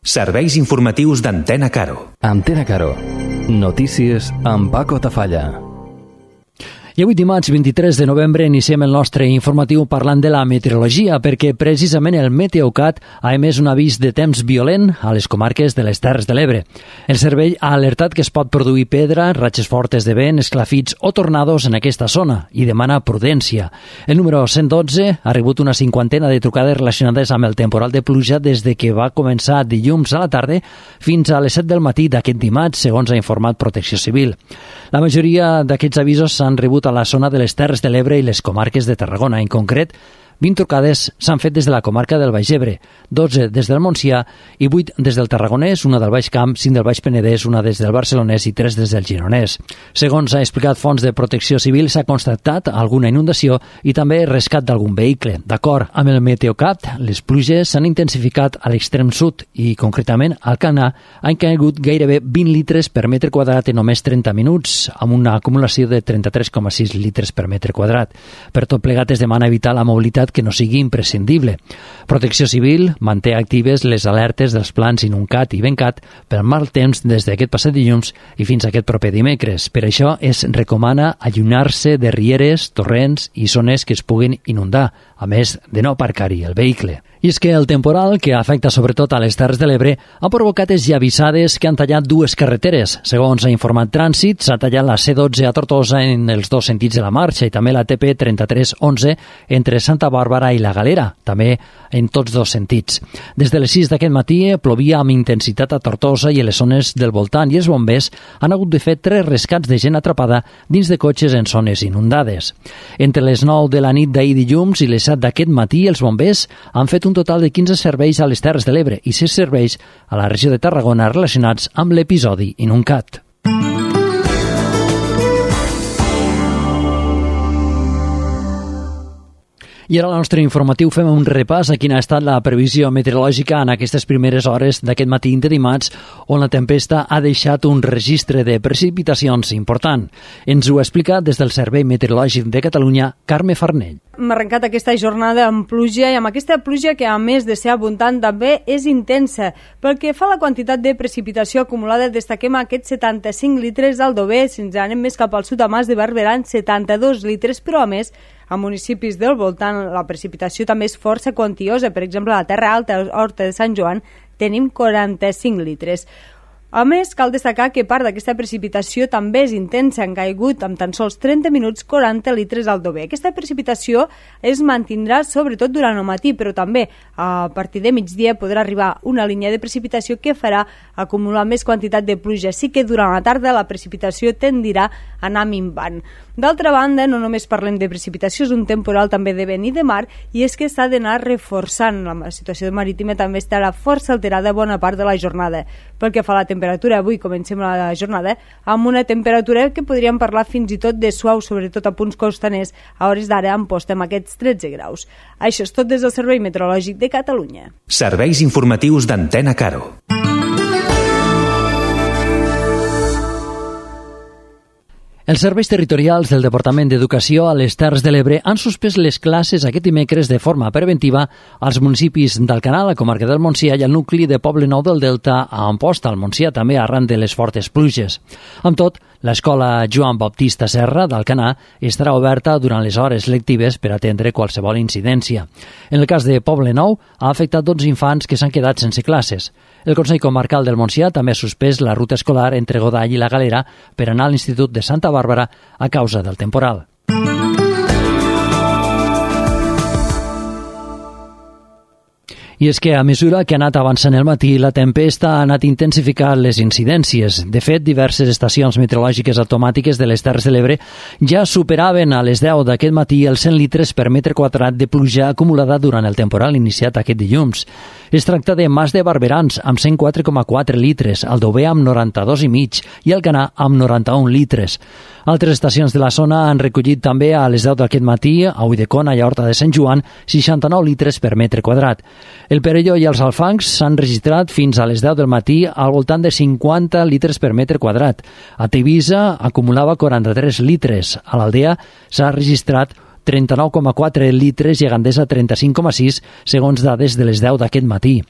Serveis informatius d'Antena Caro. Antena Caro. Notícies amb Paco Tafalla. I avui dimarts 23 de novembre iniciem el nostre informatiu parlant de la meteorologia perquè precisament el Meteocat ha emès un avís de temps violent a les comarques de les Terres de l'Ebre. El servei ha alertat que es pot produir pedra, ratxes fortes de vent, esclafits o tornados en aquesta zona i demana prudència. El número 112 ha rebut una cinquantena de trucades relacionades amb el temporal de pluja des de que va començar dilluns a la tarda fins a les 7 del matí d'aquest dimarts, segons ha informat Protecció Civil. La majoria d'aquests avisos s'han rebut a la zona de les Terres de l'Ebre i les comarques de Tarragona. En concret, 20 trucades s'han fet des de la comarca del Baix Ebre, 12 des del Montsià i 8 des del Tarragonès, una del Baix Camp, 5 del Baix Penedès, una des del Barcelonès i 3 des del Gironès. Segons ha explicat fonts de Protecció Civil, s'ha constatat alguna inundació i també rescat d'algun vehicle. D'acord amb el Meteocat, les pluges s'han intensificat a l'extrem sud i, concretament, al Canà han caigut gairebé 20 litres per metre quadrat en només 30 minuts, amb una acumulació de 33,6 litres per metre quadrat. Per tot plegat es demana evitar la mobilitat que no sigui imprescindible. Protecció Civil manté actives les alertes dels plans Inuncat i Bencat per mal temps des d'aquest passat dilluns i fins a aquest proper dimecres. Per això es recomana allunyar-se de rieres, torrents i zones que es puguin inundar, a més de no aparcar-hi el vehicle. I és que el temporal, que afecta sobretot a les Terres de l'Ebre, ha provocat esllavissades que han tallat dues carreteres. Segons ha informat Trànsit, s'ha tallat la C12 a Tortosa en els dos sentits de la marxa i també la TP 3311 entre Santa Bàrbara i la Galera, també en tots dos sentits. Des de les 6 d'aquest matí plovia amb intensitat a Tortosa i a les zones del voltant i els bombers han hagut de fer 3 rescats de gent atrapada dins de cotxes en zones inundades. Entre les 9 de la nit d'ahir dilluns i les 7 d'aquest matí, els bombers han fet un total de 15 serveis a les Terres de l'Ebre i 6 serveis a la regió de Tarragona relacionats amb l'episodi Inuncat. I ara al nostre informatiu fem un repàs a quina ha estat la previsió meteorològica en aquestes primeres hores d'aquest matí de dimarts, on la tempesta ha deixat un registre de precipitacions important. Ens ho explica des del Servei Meteorològic de Catalunya, Carme Farnell. Hem arrencat aquesta jornada amb pluja i amb aquesta pluja que, a més de ser abundant, també és intensa. Pel que fa a la quantitat de precipitació acumulada, destaquem aquests 75 litres d'Aldover. Si ens anem més cap al sud, a Mas de Barberà, 72 litres, però a més, a municipis del voltant la precipitació també és força quantiosa. Per exemple, a la Terra Alta, a Horta de Sant Joan, tenim 45 litres. A més, cal destacar que part d'aquesta precipitació també és intensa. Han caigut amb tan sols 30 minuts 40 litres al Dover. Aquesta precipitació es mantindrà sobretot durant el matí, però també a partir de migdia podrà arribar una línia de precipitació que farà acumular més quantitat de pluja. Sí que durant la tarda la precipitació tendirà a anar minvant. D'altra banda, no només parlem de precipitació, és un temporal també de vent i de mar, i és que s'ha d'anar reforçant. La situació marítima també estarà força alterada bona part de la jornada. Pel que fa a la temperatura, avui comencem la jornada amb una temperatura que podríem parlar fins i tot de suau, sobretot a punts costaners. A hores d'ara en postem aquests 13 graus. Això és tot des del Servei Meteorològic de Catalunya. Serveis informatius d'Antena Caro. Els serveis territorials del Departament d'Educació a les Terres de l'Ebre han suspès les classes aquest dimecres de forma preventiva als municipis d'Alcanar, la comarca del Montsià, i al nucli de Poblenou del Delta a Amposta, al Montsià, també arran de les fortes pluges. Amb tot, l'escola Joan Baptista Serra d'Alcanar estarà oberta durant les hores lectives per atendre qualsevol incidència. En el cas de Poblenou, ha afectat 12 infants que s'han quedat sense classes. El Consell Comarcal del Montsià també ha suspès la ruta escolar entre Godall i la Galera per anar a l'Institut de Santa Bàrbara a causa del temporal. I és que a mesura que ha anat avançant el matí, la tempesta ha anat intensificant les incidències. De fet, diverses estacions meteorològiques automàtiques de les Terres de l'Ebre ja superaven a les 10 d'aquest matí els 100 litres per metre quadrat de pluja acumulada durant el temporal iniciat aquest dilluns. Es tracta de Mas de Barberans, amb 104,4 litres, Aldover amb 92,5 i Alcanar amb 91 litres. Altres estacions de la zona han recollit també a les 10 d'aquest matí, a Ulldecona i a Horta de Sant Joan, 69 litres per metre quadrat. El Perelló i els Alfancs s'han registrat fins a les 10 del matí al voltant de 50 litres per metre quadrat. A Tivissa acumulava 43 litres. A l'Aldea s'ha registrat 39,4 litres i a Gandesa 35,6, segons dades de les 10 d'aquest matí.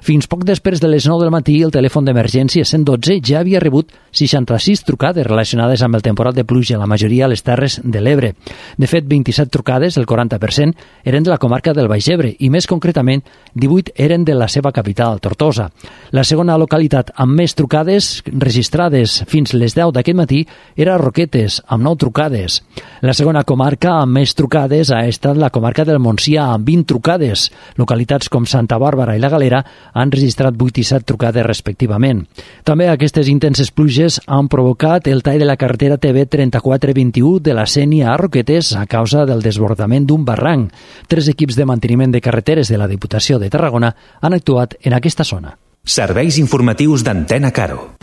Fins poc després de les 9 del matí, el telèfon d'emergència 112 ja havia rebut 66 trucades relacionades amb el temporal de pluja, la majoria a les Terres de l'Ebre. De fet, 27 trucades, el 40%, eren de la comarca del Baix Ebre i, més concretament, 18 eren de la seva capital, Tortosa. La segona localitat amb més trucades registrades fins les 10 d'aquest matí era Roquetes, amb 9 trucades. La segona comarca amb més trucades ha estat la comarca del Montsià, amb 20 trucades. Localitats com Santa Bàrbara i la Galera han registrat 8 i 7 trucades respectivament. També aquestes intenses pluges han provocat el tall de la carretera TV 3421 de la Sénia a Roquetes a causa del desbordament d'un barranc. 3 equips de manteniment de carreteres de la Diputació de Tarragona han actuat en aquesta zona. Serveis informatius d'Antena Caro.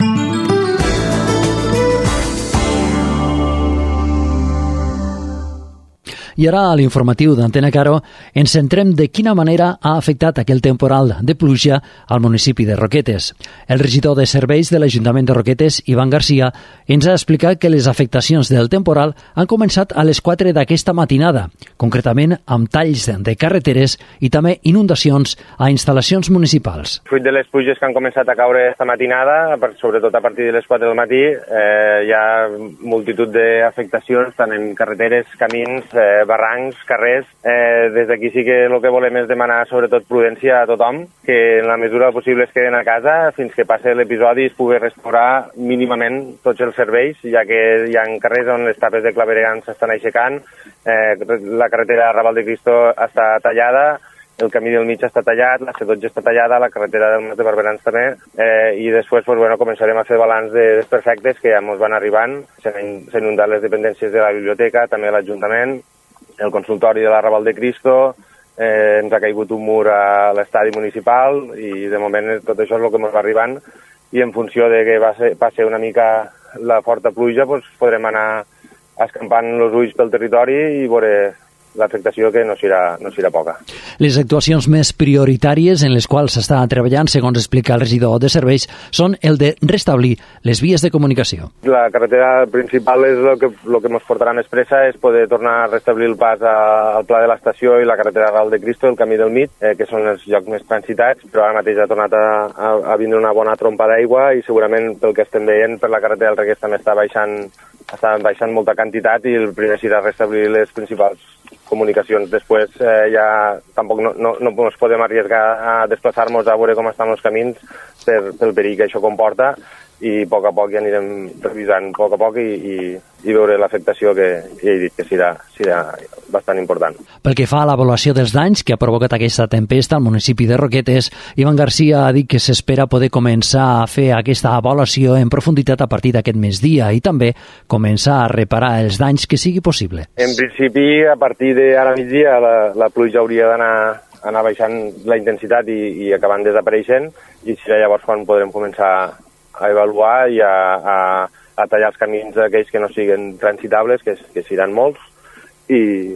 I ara, a l'informatiu d'Antena Caro, ens centrem de quina manera ha afectat aquell temporal de pluja al municipi de Roquetes. El regidor de serveis de l'Ajuntament de Roquetes, Ivan Garcia, ens ha explicat que les afectacions del temporal han començat a les 4 d'aquesta matinada, concretament amb talls de carreteres i també inundacions a instal·lacions municipals. Fruit de les pluges que han començat a caure esta matinada, sobretot a partir de les 4 del matí, hi ha multitud d'afectacions tant en carreteres, camins, barrancs, carrers. Des d'aquí sí que el que volem és demanar sobretot prudència a tothom, que en la mesura possible es queden a casa fins que passi l'episodi i es pugui restaurar mínimament tots els serveis, ja que hi ha carrers on les tapes de clavegueram s'estan aixecant, la carretera Raval de Cristo està tallada, el camí del mig està tallat, la C12 està tallada, la carretera del Mas de Barberans també, i després començarem a fer balanç de desperfectes que ja ens van arribant. S'han inundat les dependències de la biblioteca, també l'Ajuntament, el consultori de la Raval de Cristo, ens ha caigut un mur a l'estadi municipal i de moment tot això és el que ens va arribant i en funció de que passi una mica la forta pluja podrem anar escampant els ulls pel territori i veure l'afectació que no serà poca. Les actuacions més prioritàries en les quals s'està treballant, segons explica el regidor de serveis, són el de restablir les vies de comunicació. La carretera principal és el que ens portarà més pressa, és poder tornar a restablir el pas al Pla de l'Estació i la carretera Raval de Cristo, el camí del mig, que són els llocs més transitats, però ara mateix ha tornat a vindre una bona trompa d'aigua i segurament pel que estem veient per la carretera del Regués també està baixant molta quantitat i el primer serà restablir les principals comunicacions. Després ja tampoc no ens podem arriesgar a desplaçar-nos a veure com estan els camins pel perill que això comporta i a poc ja anirem revisant a poc i veure l'afectació que ja he dit que serà bastant important. Pel que fa a l'avaluació dels danys que ha provocat aquesta tempesta al municipi de Roquetes, Ivan Garcia ha dit que s'espera poder començar a fer aquesta avaluació en profunditat a partir d'aquest migdia i també començar a reparar els danys que sigui possible. En principi, a partir d'ara migdia, la pluja hauria d'anar baixant la intensitat i acabant desapareixent i serà llavors quan podrem començar a avaluar i a tallar els camins aquells que no siguin transitables, que seran molts, i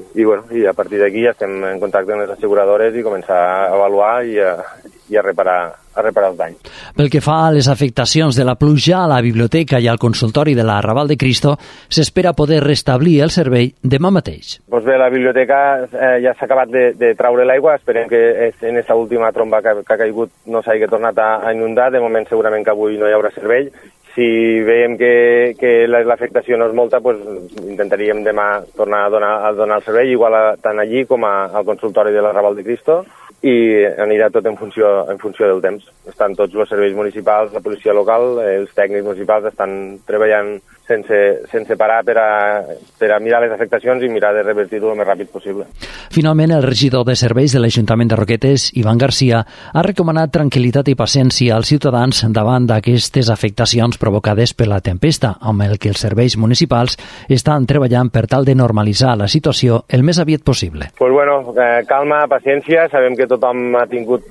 a partir d'aquí ja estem en contacte amb les asseguradores i començar a avaluar i a reparar els danys. Pel que fa a les afectacions de la pluja a la biblioteca i al consultori de la Raval de Cristo, s'espera poder restablir el servei demà mateix. Doncs bé, la biblioteca ja s'ha acabat de traure l'aigua, esperem que en aquesta última tromba que ha caigut no s'hagi tornat a inundar, de moment segurament que avui no hi haurà servei. Si veiem que l'afectació no és molta, intentaríem demà tornar a donar el servei, igual tant allí com al consultori de la Raval de Cristo, i anirà tot en funció del temps. Estan tots els serveis municipals, la policia local, els tècnics municipals estan treballant sense parar per a mirar les afectacions i mirar de revertir-ho el més ràpid possible. Finalment, el regidor de serveis de l'Ajuntament de Roquetes, Ivan Garcia, ha recomanat tranquil·litat i paciència als ciutadans davant d'aquestes afectacions provocades per la tempesta, amb el que els serveis municipals estan treballant per tal de normalitzar la situació el més aviat possible. Calma, paciència, sabem que tothom ha tingut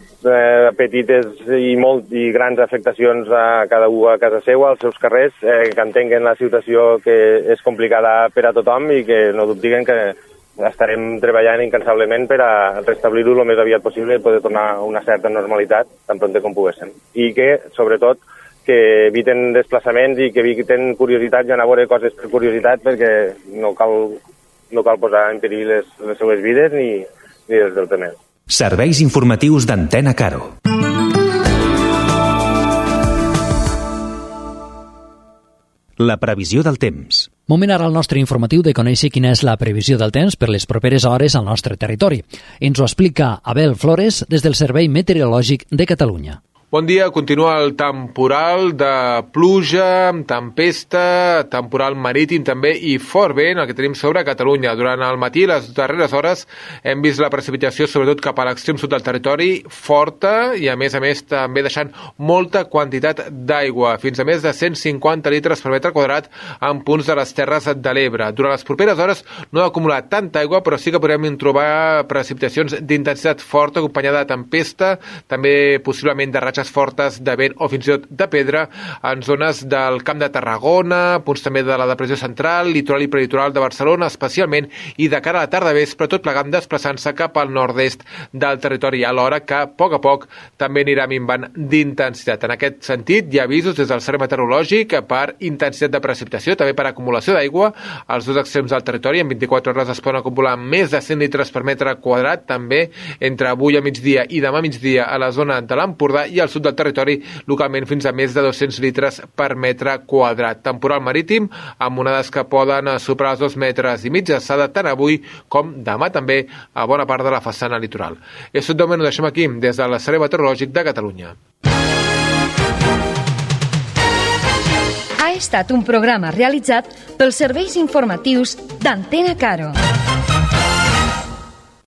petites i grans afectacions a cada un a casa seva, als seus carrers, que entenguen la situació que és complicada per a tothom i que no dubtiguen que estarem treballant incansablement per a restablir-ho el més aviat possible i poder tornar a una certa normalitat tan prompte com poguéssim. I que, sobretot, que eviten desplaçaments i que eviten curiositats i anar a veure coses per curiositat perquè no cal no cal posar en perill les seues vides ni les dels altres. Serveis informatius d'Antena Caro. La previsió del temps. Moment ara al nostre informatiu de conèixer quina és la previsió del temps per les properes hores al nostre territori. Ens ho explica Abel Flores des del Servei Meteorològic de Catalunya. Bon dia, continua el temporal de pluja, tempesta, temporal marítim també i fort vent, el que tenim sobre Catalunya. Durant el matí, les darreres hores, hem vist la precipitació, sobretot cap a l'extrem sud del territori, forta i a més també deixant molta quantitat d'aigua, fins a més de 150 litres per metre quadrat en punts de les Terres de l'Ebre. Durant les properes hores no ha acumulat tanta aigua, però sí que podrem trobar precipitacions d'intensitat forta acompanyada de tempesta, també possiblement de ratxes fortes de vent o fins i tot de pedra en zones del Camp de Tarragona, punts també de la depressió central, litoral i prelitoral de Barcelona especialment, i de cara a la tarda vespre tot plegant desplaçant-se cap al nord-est del territori, alhora que a poc també anirà minvant d'intensitat. En aquest sentit, hi ha avisos des del Servei Meteorològic per intensitat de precipitació, també per acumulació d'aigua als dos extrems del territori. En 24 hores es poden acumular més de 100 litres per metre quadrat, també entre avui a migdia i demà a migdia a la zona de l'Empordà i al sud del territori, localment fins a més de 200 litres per metre quadrat. Temporal marítim, amb onades que poden superar els 2,5 metres d'alçada tant avui com demà també a bona part de la façana litoral. És tot de moment, ho deixem aquí, des del Servei Meteorològic de Catalunya. Ha estat un programa realitzat pels serveis informatius d'Antena Caro.